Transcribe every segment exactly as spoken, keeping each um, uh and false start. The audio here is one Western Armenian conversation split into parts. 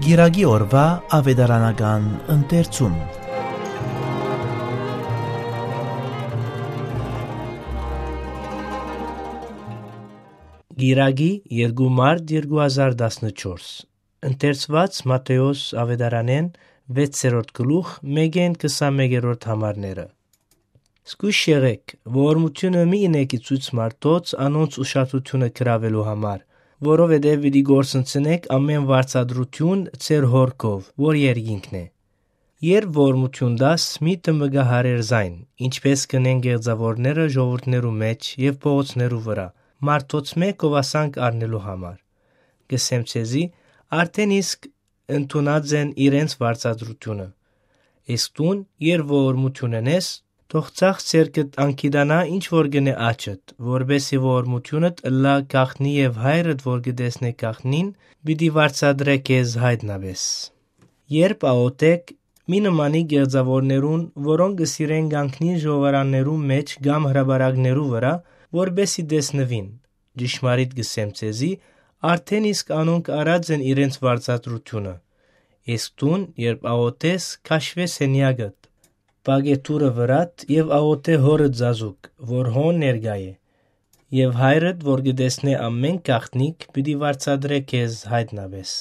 Կիրակի օրուայ աւետարանական ընթերցում։ Կիրակի, երկու մարտ երկու հազար տասնչորս։ Ընթերցուած Մատթէոս աւետարանէն վեցերորդ գլուխ, մէկէն քսանմէկերորդ համարները։ Զգոյշ եղէք, որ օրհնութիւնը մի ընէք ի ցոյց մարդոց անոնց ուշադրութիւնը գրաւելու համար, որովհետեւ պիտի կորսնցնէք ամէն վարձատրութիւն ձեր Հօրքով, որ երկինքն է։ Երբ օրհնութիւն տաս, մի դմկահարեր զայն, ինչպէս կ'ընեն կեղծաւորները ժողովուրդներու մէջ եւ փողոցներու վրայ, մարդոց մէ գովասանք առնելու համար։ Կ'ըսեմ ձեզի, արդէն իսկ ընդունած են իրենց վարձատրութիւնը։ Իսկ դուն, երբ որ օրհնութիւն ընես, թող ձախ ձեռքդ անգիտանայ ինչ որ կ'ընէ աջդ, որպէս զի որ օրհնութիւնդ ըլլայ գաղտնի եւ Հայրդ որ կը տեսնէ գաղտնին, պիտի վարձատրէ քեզ յայտնապէս։ Երբ աղօթէք, մի նմանիք կեղծաւորներուն, որոնք կը սիրեն կանգնիլ ժողովարաններուն մէջ կամ հրապարակներու վրայ, որպէս զի տեսնուին։ Ճշմարիտ կ'ըսեմ ձեզի, արդէն իսկ անոնք առած են իրենց վարձատրութիւնը։ Իսկ դուն, երբ աղօթես, քաշուէ սենեակդ, պակէ դուռը վրադ եւ աղօթէ Հօրդ զազուկ, որ հոն ներկայ է, եւ Հայրդ, որ կը տեսնէ ամէն գաղտնիք, պիտի վարձատրէ քեզ յայտնապէս։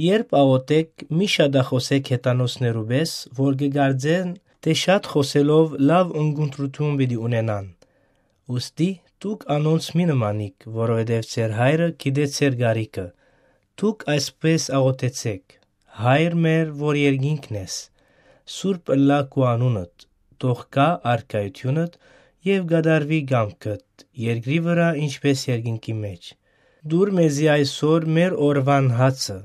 Երբ աղօթէք, մի շատախօսէք հեթանոսներու պէս, որ կը կարծեն թէ շատ խօսելով լաւ ընկունտրութիւն պիտի ունենան։ Ուստի դուք անոնց մի նմանիք, որովհետեւ ձեր Հայրը գիտէ ձեր կարիքը։ Դուք այսպէս աղօթեցէք. «Հայր մեր, որ երկինքն ես, սուրբ ըլլայ քու անունդ, թող գայ արքայութիւնդ եւ կատարուի կամքդ, երկրի վրայ, ինչպէս երկինքի մէջ։ Տուր մեզի այսօր մեր օրուան հացը,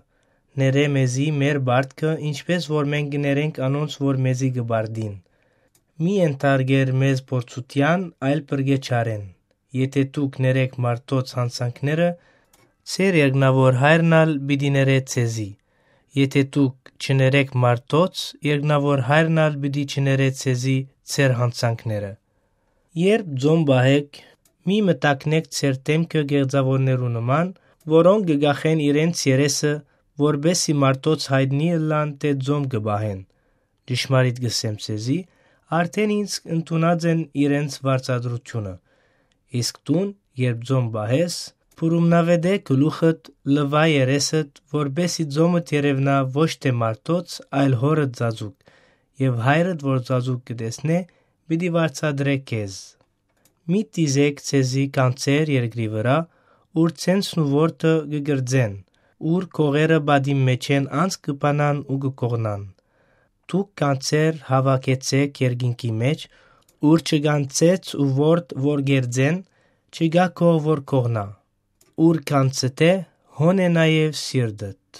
ներէ մեզի մեր պարտքը, ինչպէս որ մենք կը ներենք անոնց, որ մեզի կը պարտին։ Մի ենթարկեր մեզ փորձութեան, այլ փրկէ չարէն։ Եթէ դուք ներէք մարդոց յանցանքները, ձեր երկնաւոր Հայրն ալ պիտի ներէ ձեզի։ Եթէ դուք չներէք մարդոց, երկնաւոր Հայրն ալ պիտի չներէ ձեզի ձեր յանցանքները»։ Երբ ծոմ պահէք, մի մտակնէք ձեր դէմքը կեղծաւորներու նման, որոնք կը կախեն իրենց երեսը, որպէս զի մարդոց յայտնի ըլլան թէ ծոմ կը պահեն։ Ճշմարիտ կ'ըսեմ ձեզի, արդէն իսկ ընդունած են իրենց վարձատրութիւնը։ Իսկ դուն, երբ ծոմ պահես, փուրումնաւէտէ գլուխդ, լուայ երեսդ, որպէս զի ծոմդ երեւնայ ոչ թէ մարդոց, այլ Հօրդ զազուկ, եւ Հայրդ, որ զազուկ կը տեսնէ, պիտի վարձատրէ քեզ։ Մի դիզէք ձեզի գանձեր երկրի վրայ, ուր ցենցն ու որդը կը կրծեն, ուր կողերը պատին մէջէն անց կը բանան ու կը կողնան։ Դուք գանձեր հաւաքեցէք երկինքի մէջ, ուր չկան ցեց ու որդ որ կերծեն, չկայ կող որ կողնայ։ Ուր կան ստե, հոն է նաեւ սիրտդ։